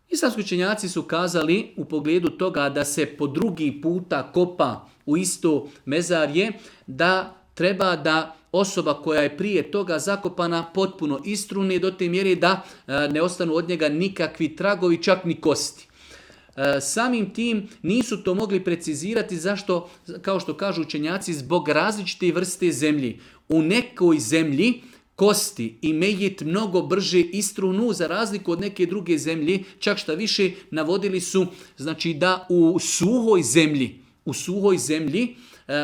Islamski učenjaci su kazali u pogledu toga da se po drugi puta kopa u isto mezarje, da treba da osoba koja je prije toga zakopana potpuno istruni do te mjere da ne ostanu od njega nikakvi tragovi, čak ni kosti. Samim tim nisu to mogli precizirati zašto, kao što kažu učenjaci, zbog različite vrste zemlji. U nekoj zemlji kosti i mejit mnogo brže istrunu za razliku od neke druge zemlje, čak šta više navodili su, znači da u suhoj zemlji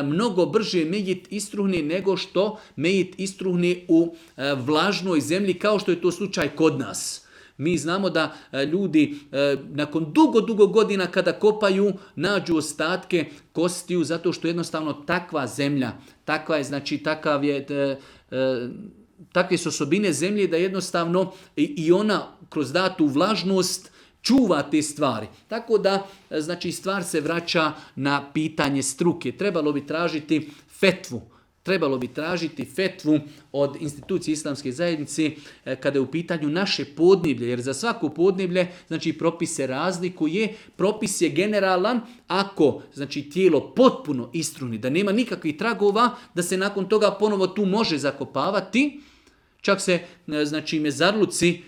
mnogo brže mejit istruhne nego što mejit istruhne u vlažnoj zemlji, kao što je to slučaj kod nas. Mi znamo da ljudi nakon dugo godina kada kopaju nađu ostatke kostiju zato što jednostavno takva zemlja, takva je, znači takve su osobine zemlje da jednostavno i ona kroz datu vlažnost čuva te stvari. Tako da, znači, stvar se vraća na pitanje struke. Trebalo bi tražiti fetvu od institucije Islamske zajednice kada je u pitanju naše podneblje, jer za svako podneblje, znači, propis se razlikuje. Propis je generalan ako, znači, tijelo potpuno istruni, da nema nikakvih tragova, da se nakon toga ponovo tu može zakopavati. Čak se, znači, mezarluci,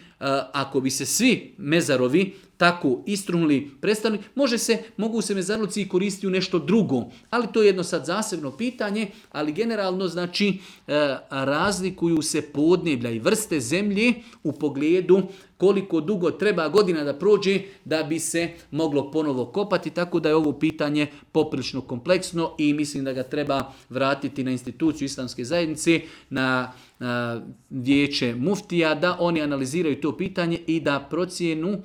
ako bi se svi mezarovi tako istrunuli, prestali, mogu se mezarluci koristiti u nešto drugo. Ali to je jedno sad zasebno pitanje, ali generalno, znači, razlikuju se podneblja i vrste zemlje u pogledu koliko dugo treba godina da prođe da bi se moglo ponovo kopati, tako da je ovo pitanje poprilično kompleksno i mislim da ga treba vratiti na instituciju Islamske zajednice, na vijeće muftija, da oni analiziraju to pitanje i da procijenu,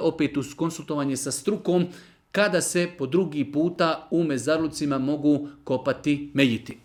opet uz konsultovanje sa strukom, kada se po drugi puta u mezarlucima mogu kopati mejiti.